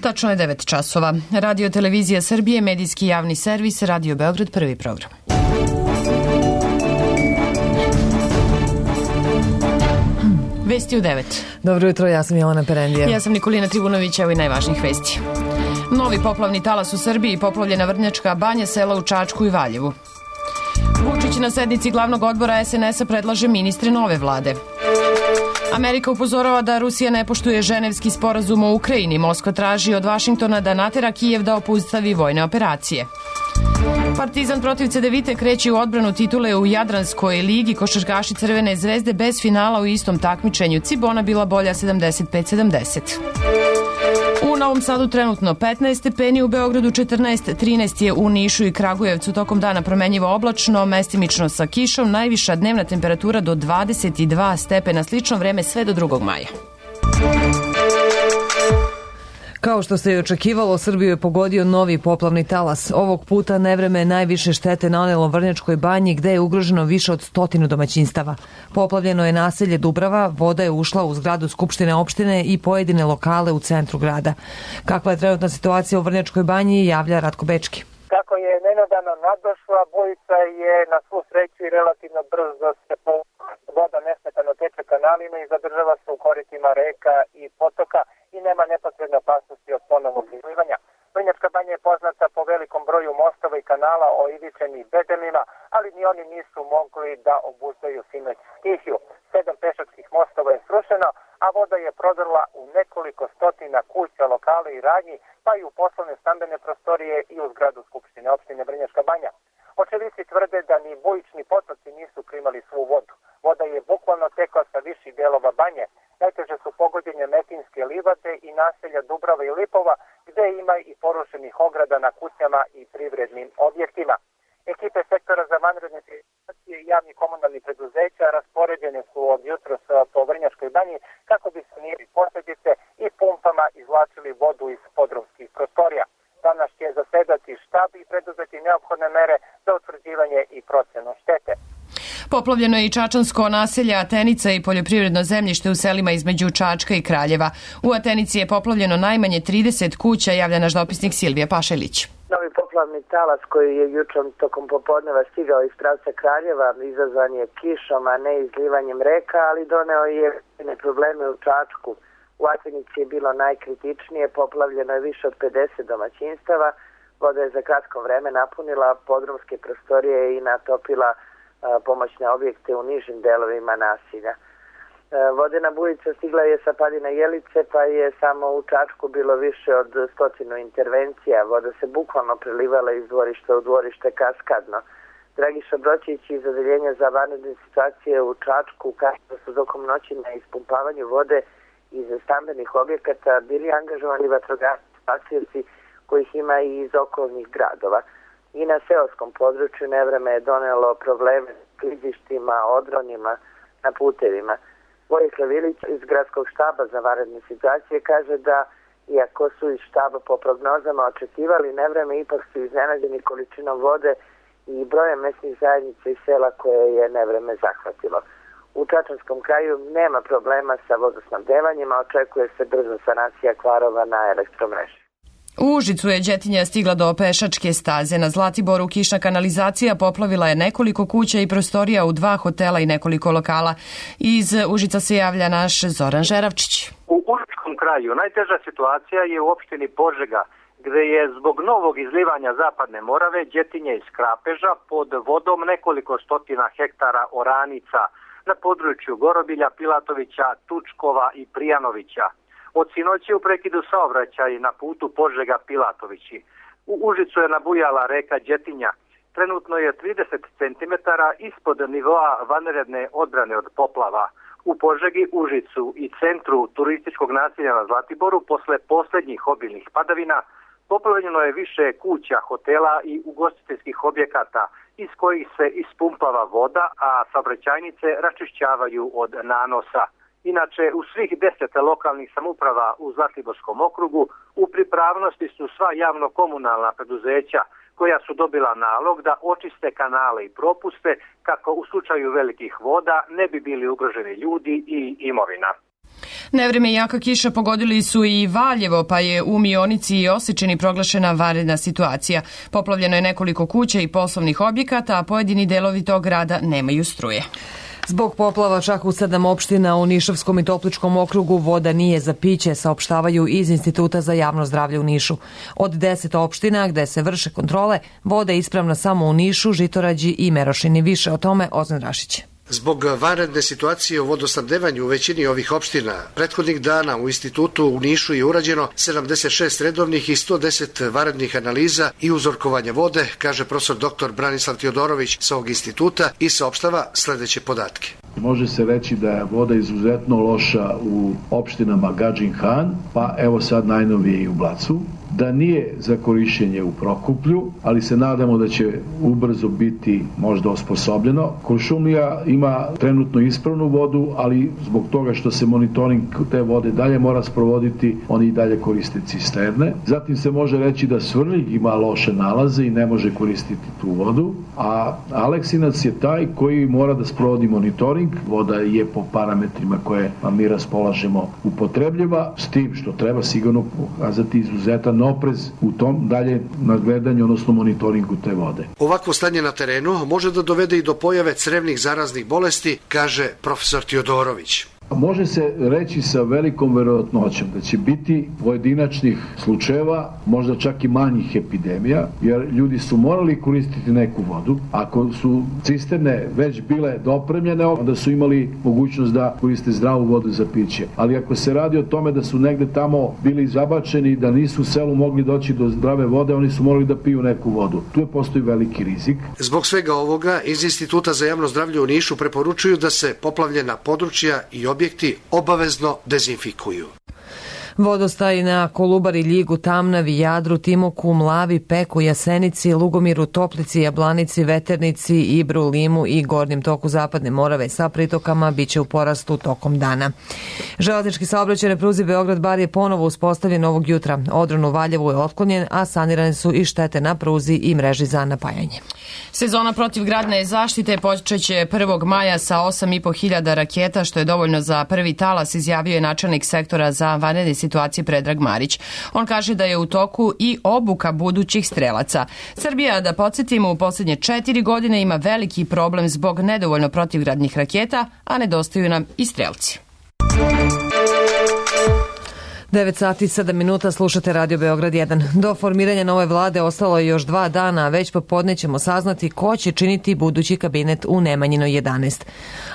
Tačno je 9 časova. Radio Televizija Srbije, medijski javni servis, Radio Beograd, prvi program. Vesti u 9. Dobro jutro, ja sam Jelena Perendija. Ja sam Nikolina Tribunović, evo i najvažnijih vesti. Novi poplavni talas u Srbiji, poplavljena Vrnjačka banja, sela u Čačku i Valjevu. Vučić na sednici glavnog odbora SNS-a predlaže ministre nove vlade. Amerika upozorava da Rusija ne poštuje ženevski sporazum o Ukrajini. Moskva traži od Vašingtona da natera Kijev da obustavi vojne operacije. Partizan protiv Cedevite kreće u odbranu titule u Jadranskoj ligi. Košarkaši Crvene zvezde bez finala u istom takmičenju. Cibona bila bolja 75-70. U Novom Sadu trenutno 15 stepeni, u Beogradu 14, 13 je u Nišu i Kragujevcu. Tokom dana promenjivo oblačno, mestimično sa kišom, najviša dnevna temperatura do 22 stepena, slično vreme sve do 2. maja. Kao što se i očekivalo, Srbiju je pogodio novi poplavni talas. Ovog puta nevreme je najviše štete nanelo Vrnjačkoj banji, gde je ugroženo više od 100 domaćinstava. Poplavljeno je naselje Dubrava, voda je ušla u zgradu Skupštine opštine i pojedine lokale u centru grada. Kakva je trenutna situacija u Vrnjačkoj banji, javlja Ratko Bečki. Kako je nenadano nadošla, bujica je na svu sreću i relativno brzo se voda nesmetano teče kanalima i zadržava se u koritima reka i potoka i nema neposredne opasnosti od ponovnog izlivanja. Vrnjačka banja je poznata po velikom broju mostova i kanala oivičenih bedelima, ali ni oni nisu mogli da obuzdaju sinoć stihiju. 7 pešačkih mostova je srušeno, a voda je prodrla u nekoliko stotina kuća, lokale i radnji, pa i u poslovne stambene prostorije i u zgradu Skupštine opštine Vrnjačka banja. Očevici tvrde da ni bujični potoci nisu primali svu vodu. Voda je bukvalno tekla sa viših delova banje. Najteže su pogođenje Metinske livade i naselja Dubrava i Lipova, gde ima i porušenih ograda na kućama i privrednim objektima. Ekipe sektora za vanredne situacije i javnih komunalnih preduzeća raspoređene su od jutros po Vrnjačkoj banji kako bi sanirali posljedice i pumpama izvlačili vodu iz podrumskih prostorija. Danas će zasedati štab i preduzeti neophodne mere za utvrđivanje i procenu štete. Poplavljeno je i čačansko naselje Atenica i poljoprivredno zemljište u selima između Čačka i Kraljeva. U Atenici je poplavljeno najmanje 30 kuća, javlja naš dopisnik Silvija Pašelić. Novi poplavni talas koji je jučer tokom popodneva stigao iz pravca Kraljeva izazvan je kišom, a ne izlivanjem reka, ali doneo je probleme u Čačku. U Atenici je bilo najkritičnije, poplavljeno je više od 50 domaćinstava, voda je za kratko vreme napunila podrumske prostorije i natopila pomoćne objekte u nižim delovima nasilja. Vodena bujica stigla je sa padina Jelice, pa je samo u Čačku bilo više od 100 intervencija. Voda se bukvalno prelivala iz dvorišta u dvorište kaskadno. Dragiša Broćić iz Odeljenja za vanredne situacije u Čačku kaže da su tokom noći na ispumpavanju vode iz stambenih objekata bili angažovani vatrogasci spasioci kojih ima i iz okolnih gradova. I na seoskom području nevreme je donelo probleme s klizištima, odronima na putevima. Vojislav Ilić iz gradskog štaba za vanredne situacije kaže da, iako su iz štaba po prognozama očekivali nevreme, ipak su iznenađeni količinom vode i brojem mesnih zajednica i sela koje je nevreme zahvatilo. U čačanskom kraju nema problema sa vodosnabdevanjima, očekuje se brza sanacija kvarova na elektromreži. U Užicu je đetinja stigla do pešačke staze. Na Zlatiboru kišna kanalizacija poplavila je nekoliko kuća i prostorija u 2 hotela i nekoliko lokala. Iz Užica se javlja naš Zoran Žeravčić. U Užičkom kraju najteža situacija je u opštini Požega, gde je zbog novog izlivanja Zapadne Morave đetinje iz Krapeža pod vodom nekoliko stotina hektara oranica na području Gorobilja, Pilatovića, Tučkova i Prijanovića. Od sinoći u prekidu saobraćaj na putu Požega-Pilatovići. U Užicu je nabujala reka Đetinja. Trenutno je 30 cm ispod nivoa vanredne odbrane od poplava. U Požegi, Užicu i centru turističkog naselja na Zlatiboru posle posljednjih obilnih padavina poplavljeno je više kuća, hotela i ugostiteljskih objekata iz kojih se ispumpava voda, a saobraćajnice račišćavaju od nanosa. Inače, u svih 10 lokalnih samouprava u Zlatiborskom okrugu u pripravnosti su sva javno-komunalna preduzeća koja su dobila nalog da očiste kanale i propuste kako u slučaju velikih voda ne bi bili ugroženi ljudi i imovina. Nevreme i jaka kiša pogodili su i Valjevo, pa je u Mionici i Osečini proglašena vanredna situacija. Poplavljeno je nekoliko kuća i poslovnih objekata, a pojedini delovi tog grada nemaju struje. Zbog poplava čak u 7 opština u Nišavskom i Topličkom okrugu voda nije za piće, saopštavaju iz Instituta za javno zdravlje u Nišu. Od 10 opština gde se vrše kontrole, voda je ispravna samo u Nišu, Žitorađi i Merošini. Više o tome Ozan Rašić. Zbog vanredne situacije u vodosnabdevanju u većini ovih opština, prethodnih dana u institutu u Nišu je urađeno 76 redovnih i 110 vanrednih analiza i uzorkovanja vode, kaže profesor dr. Branislav Teodorović sa ovog instituta i saopštava sledeće podatke. Može se reći da je voda izuzetno loša u opštinama Gadžin Han, pa evo sad najnovije i u Blacu, da nije za korišćenje u Prokuplju, ali se nadamo da će ubrzo biti možda osposobljeno. Kuršumlija ima trenutno ispravnu vodu, ali zbog toga što se monitoring te vode dalje mora sprovoditi, oni i dalje koriste cisterne. Zatim se može reći da Svrljig ima loše nalaze i ne može koristiti tu vodu, a Aleksinac je taj koji mora da sprovodi monitoring. Voda je po parametrima koje mi raspolažemo upotrebljiva, s tim što treba sigurno pokazati izuzetan oprez u tom dalje nadgledanju, odnosno monitoringu te vode. Ovakvo stanje na terenu može da dovede i do pojave crevnih zaraznih bolesti, kaže profesor Teodorović. Može se reći sa velikom verovatnoćom da će biti pojedinačnih slučajeva, možda čak i manjih epidemija, jer ljudi su morali koristiti neku vodu. Ako su cisterne već bile dopremljene, onda su imali mogućnost da koriste zdravu vodu za piće. Ali ako se radi o tome da su negde tamo bili zabačeni, da nisu u selu mogli doći do zdrave vode, oni su morali da piju neku vodu. Tu postoji veliki rizik. Zbog svega ovoga, iz Instituta za javno zdravlje u Nišu preporučuju da se poplavljena područja i objekti obavezno dezinfikuju. Vodostaji na Kolubari, Ljigu, Tamnavi, Jadru, Timoku, Mlavi, Peku, Jasenici, Lugomiru, Toplici, Jablanici, Veternici, Ibru, Limu i gornjem toku Zapadne Morave sa pritokama biće u porastu tokom dana. Železnički saobraćaj na pruzi Beograd-Bar je ponovo uspostavljen ovog jutra. Odron u Valjevu je otklonjen, a sanirane su i štete na pruzi i mreži za napajanje. Sezona protivgradne zaštite počeće 1. maja sa 8.500 raketa, što je dovoljno za prvi talas, izjavio je načelnik sektora za vanredne situacije Predrag Marić. On kaže da je u toku i obuka budućih strelaca. Srbija, da podsjetimo, u posljednje 4 godine ima veliki problem zbog nedovoljno protivgradnih raketa, a nedostaju nam i strelci. 9 sati 7 minuta, slušate Radio Beograd 1. Do formiranja nove vlade ostalo je još 2 dana, a već popodne ćemo saznati ko će činiti budući kabinet u Nemanjinoj 11.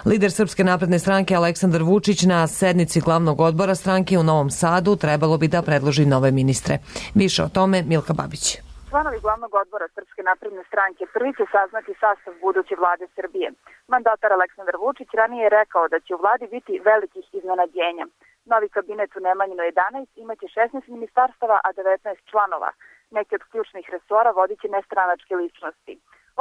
Lider Srpske napredne stranke Aleksandar Vučić na sednici glavnog odbora stranke u Novom Sadu trebalo bi da predloži nove ministre. Više o tome Milka Babić. Članovi glavnog odbora Srpske napredne stranke prvi će saznati sastav buduće vlade Srbije. Mandatar Aleksandar Vučić ranije je rekao da će u vladi biti velikih iznenađenja. Novi kabinet u Nemanjinoj 11 imaće 16 ministarstava, a 19 članova. Neki od ključnih resora vodit će nestranačke ličnosti.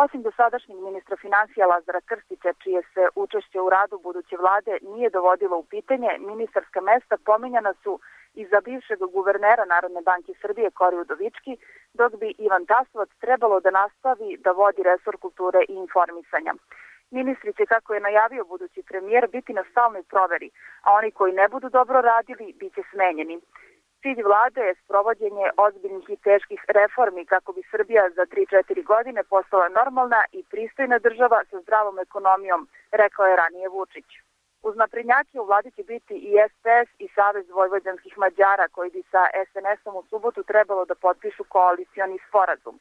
Osim dosadašnjeg ministra finansija Lazara Krstića, čije se učešće u radu buduće vlade nije dovodilo u pitanje, ministarska mesta pominjana su i za bivšeg guvernera Narodne banke Srbije Kori Udovički, dok bi Ivan Tasovac trebalo da nastavi da vodi resor kulture i informisanja. Ministri će, kako je najavio budući premijer, biti na stalnoj proveri, a oni koji ne budu dobro radili bit će smenjeni. Cilj vlade je sprovođenje ozbiljnih i teških reformi kako bi Srbija za 3-4 godine postala normalna i pristojna država sa zdravom ekonomijom, rekao je ranije Vučić. Uz naprednjake u vladi će biti i SPS i Savez vojvođanskih Mađara, koji bi sa SNS-om u subotu trebalo da potpišu koalicioni sporazum.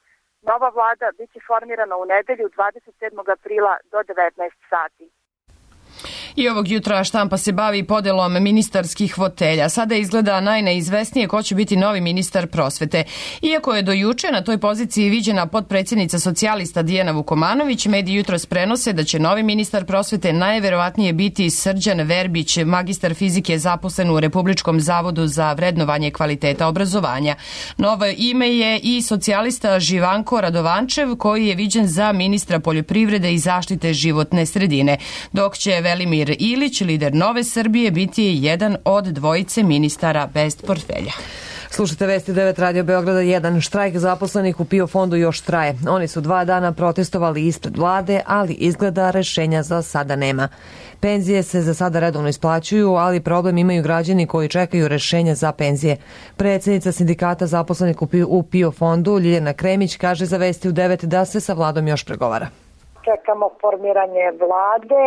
Nova vlada biće formirana u nedelju 27. aprila do 19 sati. I ovog jutra štampa se bavi podelom ministarskih fotelja. Sada izgleda najneizvesnije ko će biti novi ministar prosvete. Iako je do juče na toj poziciji viđena potpredsjednica socijalista Dijana Vukomanović, mediji jutros prenose da će novi ministar prosvete najverovatnije biti Srđan Verbić, magistar fizike zaposlen u Republičkom zavodu za vrednovanje kvaliteta obrazovanja. Novo ime je i socijalista Živanko Radovančev, koji je viđen za ministra poljoprivrede i zaštite životne sredine, dok će Velimir Ilić, lider Nove Srbije, biti jedan od dvojice ministara bez portfelja. Slušajte vesti 9 Radio Beograda 1. Štrajk zaposlenih u PIO fondu još traje. Oni su 2 dana protestovali ispred vlade, ali izgleda rešenja za sada nema. Penzije se za sada redovno isplaćuju, ali problem imaju građani koji čekaju rešenja za penzije. Predsednica sindikata zaposlenih u PIO fondu Ljiljana Kremić kaže za vesti u 9 da se sa vladom još pregovara. Čekamo formiranje vlade,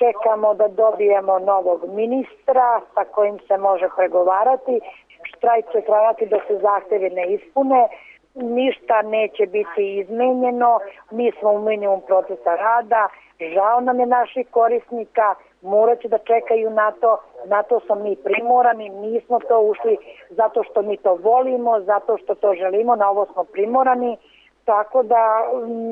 čekamo da dobijemo novog ministra sa kojim se može pregovarati. Štrajk će trajati dok se zahtevi ne ispune, ništa neće biti izmenjeno, mi smo u minimum procesa rada, žao nam je naših korisnika, morat će da čekaju na to smo mi primorani, nismo to ušli zato što mi to volimo, zato što to želimo, na ovo smo primorani, tako da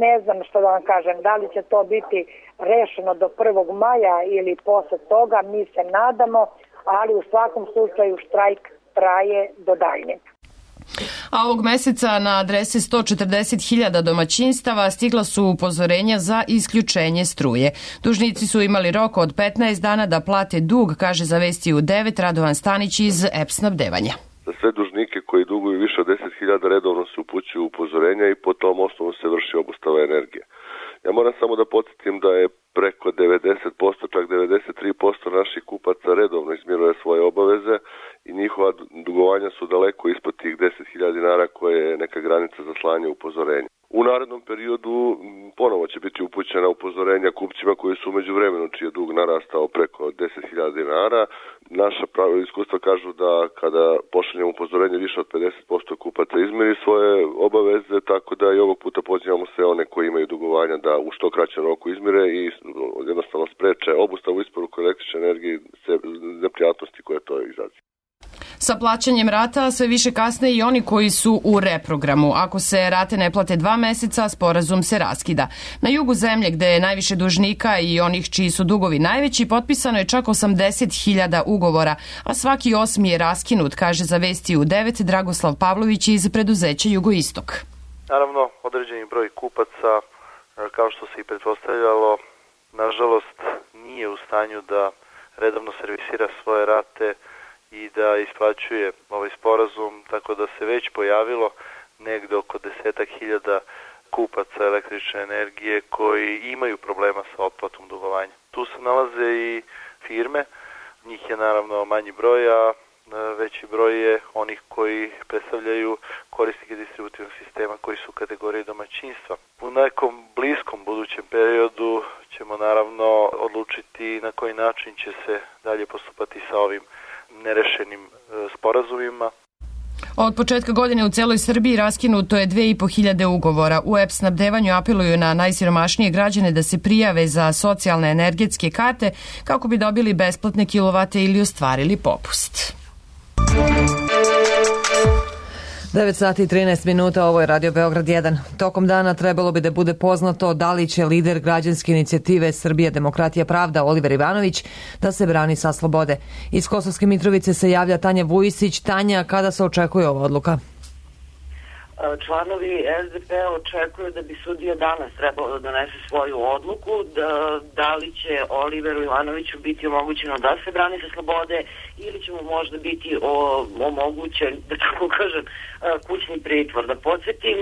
ne znam što da vam kažem, da li će to biti rešeno do 1. maja ili posle toga, mi se nadamo, ali u svakom slučaju štrajk traje do daljnjeg. A ovog meseca na adrese 140.000 domaćinstava stigla su upozorenja za isključenje struje. Dužnici su imali rok od 15 dana da plate dug, kaže za vesti u 9 Radovan Stanić iz EPS snabdevanja. Za sve dužnike koji duguju više od 10.000 redovno se upućuju upozorenja i po tom osnovu se vrši obustava energije. Ja moram samo da podsjetim da je preko 90%, čak 93% naših kupaca redovno izmiruje svoje obaveze i njihova dugovanja su daleko ispod tih 10.000 dinara koje je neka granica za slanje upozorenja. U narednom periodu ponovo će biti upućena upozorenja kupcima koji su umeđu vremenu čiji je dug narastao preko 10.000 dinara. Naša iskustva kažu da kada pošaljemo upozorenje više od 50% kupaca izmiri svoje obaveze, tako da i ovog puta pozivamo sve one koji imaju dugovanja da u što kraćem roku izmire i jednostavno spreče obustavu isporuku električne energije i neprijatnosti koje to izaziva. Sa plaćanjem rata sve više kasne i oni koji su u reprogramu. Ako se rate ne plate 2 meseca, sporazum se raskida. Na jugu zemlje, gde je najviše dužnika i onih čiji su dugovi najveći, potpisano je čak 80.000 ugovora, a svaki 8. je raskinut, kaže za vesti u 9 Dragoslav Pavlović iz preduzeća Jugoistok. Naravno, određeni broj kupaca, kao što se i pretpostavljalo, nažalost nije u stanju da redovno servisira svoje rate i da isplaćuje ovaj sporazum, tako da se već pojavilo negde oko 10.000 kupaca električne energije koji imaju problema sa otplatom dugovanja. Tu se nalaze i firme, njih je naravno manji broj, a veći broj je onih koji predstavljaju korisnike distributivnog sistema koji su u kategoriji domaćinstva. U nekom bliskom budućem periodu ćemo naravno odlučiti na koji način će se dalje postupati sa ovim nerešenim sporazumima. Od početka godine u celoj Srbiji raskinuto je 2.500 ugovora. U EPS snabdevanju apeluju na najsiromašnije građane da se prijave za socijalne energetske karte kako bi dobili besplatne kilovate ili ostvarili popust. 9 sati i 13 minuta, ovo je Radio Beograd 1. Tokom dana trebalo bi da bude poznato da li će lider građanske inicijative Srbija, demokratija, pravda Oliver Ivanović da se brani sa slobode. Iz Kosovske Mitrovice se javlja Tanja Vujisić. Tanja, kada se očekuje ova odluka? Članovi SDP očekuju da bi sudija danas trebalo da donese svoju odluku, da li će Oliveru Ivanoviću biti omogućeno da se brani sa slobode ili će mu možda biti omogućen, da tako kažem, kućni pritvor. Da podsjetim,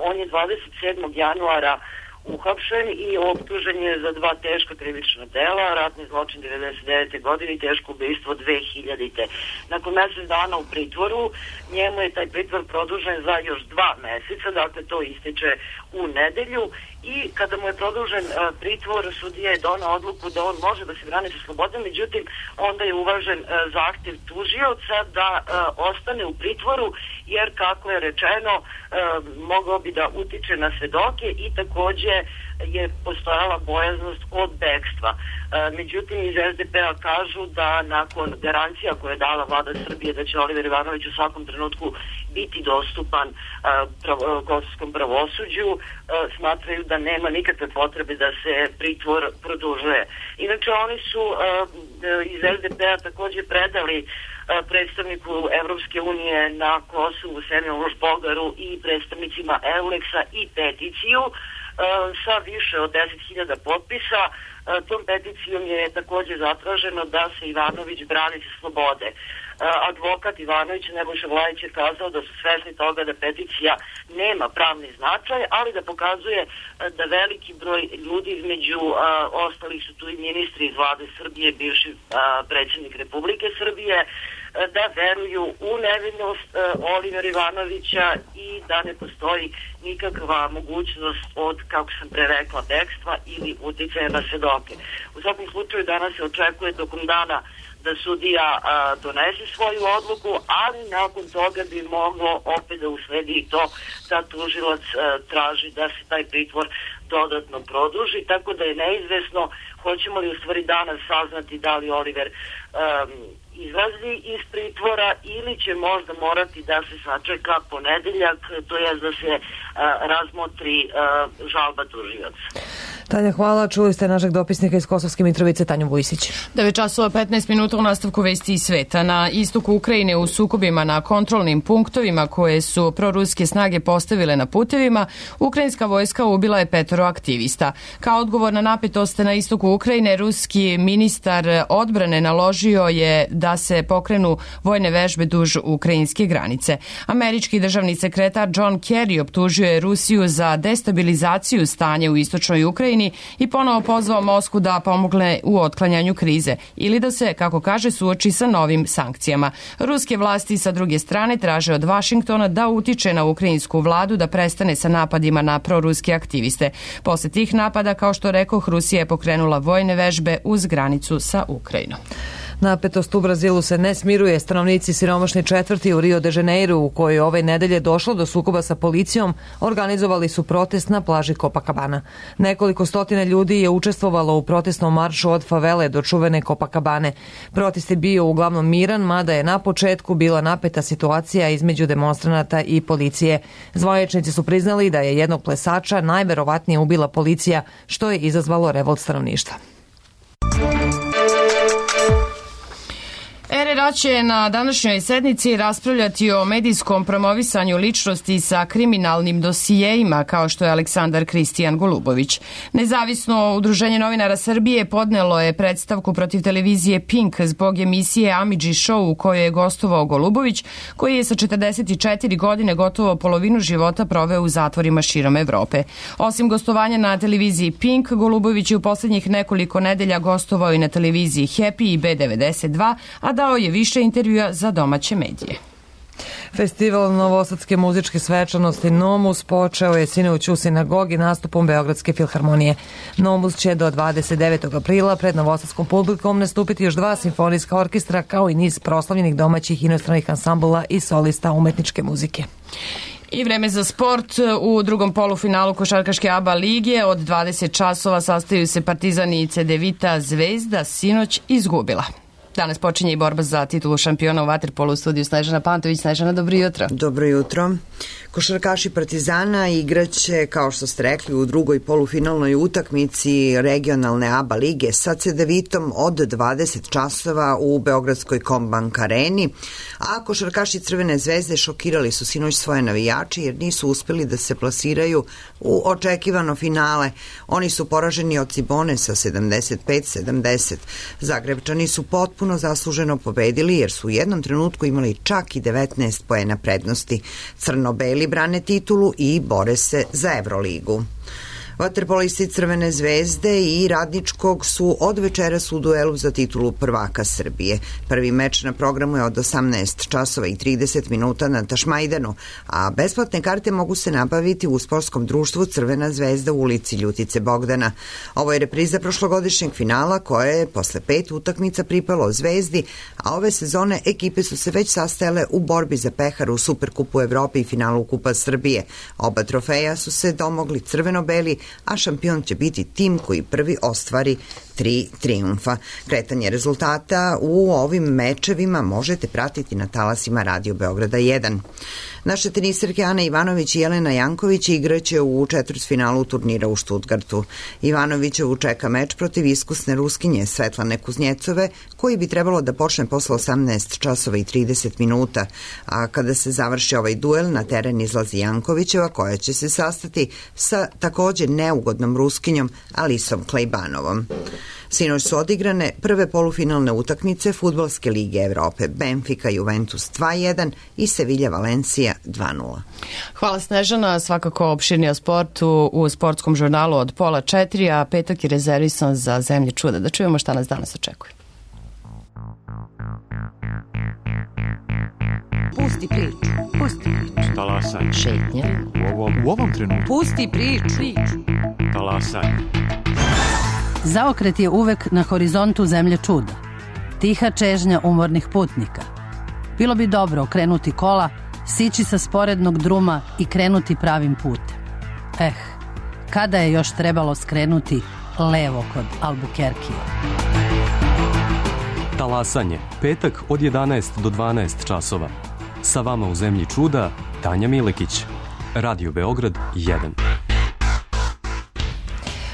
on je 27. januara uhapšen i optužen je za 2 teška krivična dela, ratni zločin 99. godine i teško ubistvo 2000. Nakon mesec dana u pritvoru, njemu je taj pritvor produžen za još 2 meseca, dakle to ističe u nedelju, i kada mu je produžen pritvor, sudija je donao odluku da on može da se brani sa slobodom, međutim onda je uvažen zahtev tužioca da ostane u pritvoru, jer kako je rečeno mogao bi da utiče na svedoke i takođe je postojala bojaznost od bekstva. Međutim, iz SDP-a kažu da nakon garancija koje je dala vlada Srbije da će Oliver Ivanović u svakom trenutku biti dostupan kosovskom pravosuđu, smatraju da nema nikakve potrebe da se pritvor produžuje. Inače, oni su iz SDP-a takođe predali predstavniku Evropske unije na Kosovu, Semjolu Bogaru i predstavnicima Euleksa i peticiju sa više od 10.000 potpisa. Tom peticijom je takođe zatraženo da se Ivanović brani sa slobode. Advokat Ivanović, Nebojša Vlajić, je kazao da su svesni toga da peticija nema pravni značaj, ali da pokazuje da veliki broj ljudi, između ostalih su tu i ministri iz vlade Srbije, bivši predsjednik Republike Srbije, da veruju u nevinost Olivera Ivanovića i da ne postoji nikakva mogućnost od, kako sam pre rekla, bekstva ili uticaja na svedoke. U svakom slučaju danas se očekuje tokom dana da sudija donese svoju odluku, ali nakon toga bi moglo opet da usledi i to da tužilac traži da se taj pritvor dodatno produži, tako da je neizvesno hoćemo li u stvari danas saznati da li Oliver izlazi iz pritvora ili će možda morati da se sačeka ponedeljak, to je da se razmotri žalba tužioca. Tanja, hvala. Čuli ste našeg dopisnika iz Kosovske Mitrovice, Tanju Vujsić. 9:15 u nastavku vesti iz sveta. Na istoku Ukrajine u sukobima na kontrolnim punktovima koje su proruske snage postavile na putevima, ukrajinska vojska ubila je 5 aktivista. Kao odgovor na napetost na istoku Ukrajine, ruski ministar odbrane naložio je da se pokrenu vojne vežbe duž ukrajinske granice. Američki državni sekretar John Kerry optužio je Rusiju za destabilizaciju stanja u istočnoj Ukrajini i ponovo pozvao Moskvu da pomogne u otklanjanju krize ili da se, kako kaže, suoči sa novim sankcijama. Ruske vlasti sa druge strane traže od Vašingtona da utiče na ukrajinsku vladu da prestane sa napadima na proruske aktiviste. Posle tih napada, kao što rekoh, Rusija je pokrenula vojne vežbe uz granicu sa Ukrajinom. Napetost u Brazilu se ne smiruje. Stanovnici siromašne četvrti u Rio de Janeiro, u kojoj ove nedelje došlo do sukoba sa policijom, organizovali su protest na plaži Copacabana. Nekoliko stotina ljudi je učestvovalo u protestnom maršu od favele do čuvene Copacabane. Protest je bio uglavnom miran, mada je na početku bila napeta situacija između demonstranata i policije. Zvaničnici su priznali da je jednog plesača najverovatnije ubila policija, što je izazvalo revolt stanovništva. RRA će na današnjoj sednici raspravljati o medijskom promovisanju ličnosti sa kriminalnim dosijeima, kao što je Aleksandar Kristijan Golubović. Nezavisno udruženje novinara Srbije podnelo je predstavku protiv televizije Pink zbog emisije Amidži Show u kojoj je gostovao Golubović, koji je sa 44 godine gotovo polovinu života proveo u zatvorima širom Evrope. Osim gostovanja na televiziji Pink, Golubović je u poslednjih nekoliko nedelja gostovao i na televiziji Happy i B92, a dao je više intervjua za domaće medije. Festival novosadske muzičke svečanosti Nomus počeo je sinoć u sinagogi nastupom Beogradske filharmonije. Nomus će do 29. aprila pred novosadskom publikom nastupiti još 2 simfonijska orkestra kao i niz proslavljenih domaćih inostranih ansambula i solista umetničke muzike. I vreme za sport. U drugom polufinalu košarkaške ABA lige od 20 časova sastaju se Partizan i Cedevita. Zvezda sinoć izgubila. Danas počinje i borba za titulu šampiona u vaterpolu. U studiju Snežana Pantović. Snežana, dobro jutro. Dobro jutro. Košarkaši Partizana igraće, kao što ste rekli, u drugoj polufinalnoj utakmici regionalne ABA lige sa Cedevitom od 20 časova u Beogradskoj Kombank areni, a košarkaši Crvene zvezde šokirali su sinoć svoje navijače jer nisu uspeli da se plasiraju u očekivano finale. Oni su poraženi od Cibone sa 75-70. Zagrebčani su potpuno zasluženo pobedili jer su u jednom trenutku imali čak i 19 poena prednosti. Crno-beli brane titulu i bore se za Evroligu. Vaterpolisti Crvene zvezde i Radničkog su od večeras u duelu za titulu prvaka Srbije. Prvi meč na programu je od 18 časova i 30 minuta na Tašmajdanu, a besplatne karte mogu se nabaviti u sportskom društvu Crvena zvezda u ulici Ljutice Bogdana. Ovo je repriza prošlogodišnjeg finala koje je posle 5 utakmica pripalo Zvezdi, a ove sezone ekipe su se već sastajale u borbi za pehar u Superkupu Evrope i finalu Kupa Srbije. Oba trofeja su se domogli crveno-beli, a šampion će biti tim koji prvi ostvari 3 trijumfa. Kretanje rezultata u ovim mečevima možete pratiti na talasima Radio Beograda 1. Naše teniserke Ana Ivanović i Jelena Janković igraće u četvrtfinalu turnira u Stuttgartu. Ivanovićevu čeka meč protiv iskusne Ruskinje Svetlane Kuznjecove, koji bi trebalo da počne posle 18 časova i 30 minuta, a kada se završi ovaj duel na teren izlazi Jankovićeva, koja će se sastati sa takođe neugodnom Ruskinjom Alisom Klejbanovom. Sinoć su odigrane prve polufinalne utakmice Fudbalske lige Evrope, Benfica Juventus 2-1 i Sevilla Valencija 2-0. Hvala Snežana, svakako opširnije o sportu u sportskom žurnalu od 3:30, a petak je rezervisan za Zemlje čuda. Da čujemo šta nas danas očekuje. Pusti priču. Pusti priču. Talasaj. Šetnja. U ovom trenutku. Pusti priču. Talasaj. Zaokret je uvek na horizontu Zemlje čuda. Tiha čežnja umornih putnika. Bilo bi dobro okrenuti kola, sići sa sporednog druma i krenuti pravim putem. Kada je još trebalo skrenuti levo kod Albuquerquea? Talasanje. Petak od 11 do 12 časova. Sa vama u Zemlji čuda, Tanja Milekić. Radio Beograd 1.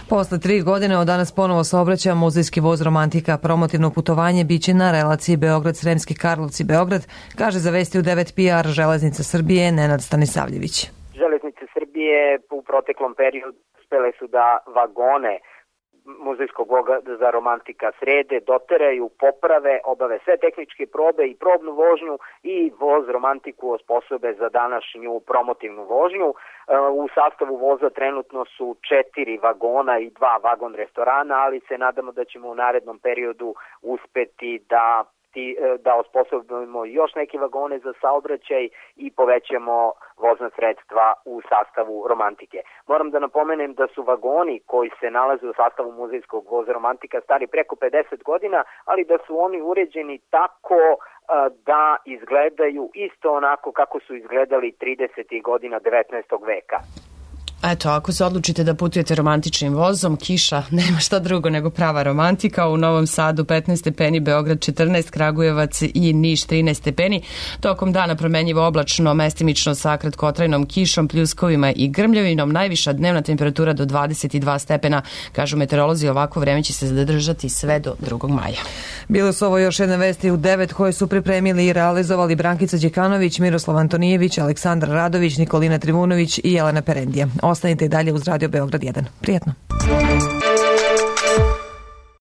Posle 3 godine od danas ponovo saobraća muzejski voz Romantika. Promotivno putovanje biće na relaciji Beograd-Sremski Karlovci-Beograd, kaže za vesti u 9 PR Železnica Srbije Nenad Stanisavljević. Železnice Srbije u proteklom periodu uspele su da vagone muzejskog voza Romantika srede, doteraju, poprave, obave sve tehničke probe i probnu vožnju i voz Romantiku osposobe za današnju promotivnu vožnju. U sastavu voza trenutno su 4 vagona i 2 vagon restorana, ali se nadamo da ćemo u narednom periodu uspeti da osposobimo još neke vagone za saobraćaj i povećamo vozna sredstva u sastavu Romantike. Moram da napomenem da su vagoni koji se nalaze u sastavu muzejskog voza Romantika stari preko 50 godina, ali da su oni uređeni tako da izgledaju isto onako kako su izgledali 30. godina 19. veka. Eto, ako se odlučite da putujete romantičnim vozom, kiša nema šta drugo nego prava romantika. U Novom Sadu 15 stepeni, Beograd 14, Kragujevac i Niš 13 stepeni. Tokom dana promenjivo oblačno, mestimično sa kratkotrajnom kišom, pljuskovima i grmljavinom. Najviša dnevna temperatura do 22 stepena. Kažu meteorolozi, ovako vreme će se zadržati sve do 2. maja. Bile su ovo još jedne vesti u 9 koje su pripremili i realizovali Brankica Đekanović, Miroslav Antonijević, Aleksandar Radović, Nikolina Trivunović i Jelena Perendija. Ostanite i dalje uz Radio Beograd 1. Prijetno.